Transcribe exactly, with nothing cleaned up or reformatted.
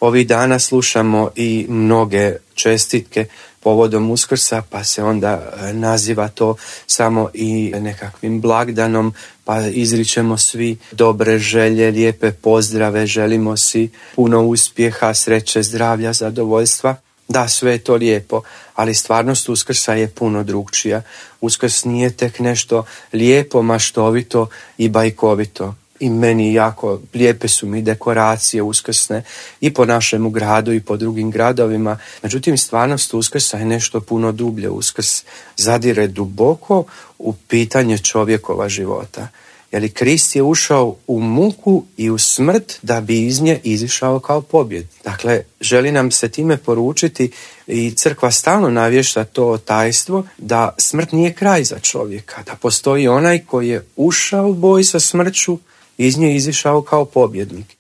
Ovih dana slušamo i mnoge čestitke povodom Uskrsa, pa se onda naziva to samo i nekakvim blagdanom, pa izričemo svi dobre želje, lijepe pozdrave, želimo si puno uspjeha, sreće, zdravlja, zadovoljstva. Da, sve je to lijepo, ali stvarnost Uskrsa je puno drugčija. Uskrs nije tek nešto lijepo, maštovito i bajkovito. I meni jako lijepe su mi dekoracije uskrsne i po našemu gradu i po drugim gradovima. Međutim, stvarnost Uskrsa je nešto puno dublje. Uskrs zadire duboko u pitanje čovjekova života. Jer Krist je ušao u muku i u smrt da bi iz nje izišao kao pobjed. Dakle, želi nam se time poručiti i crkva stalno navješta to tajstvo da smrt nije kraj za čovjeka, da postoji onaj koji je ušao u boj sa smrću, iz nje izišao kao pobjednik.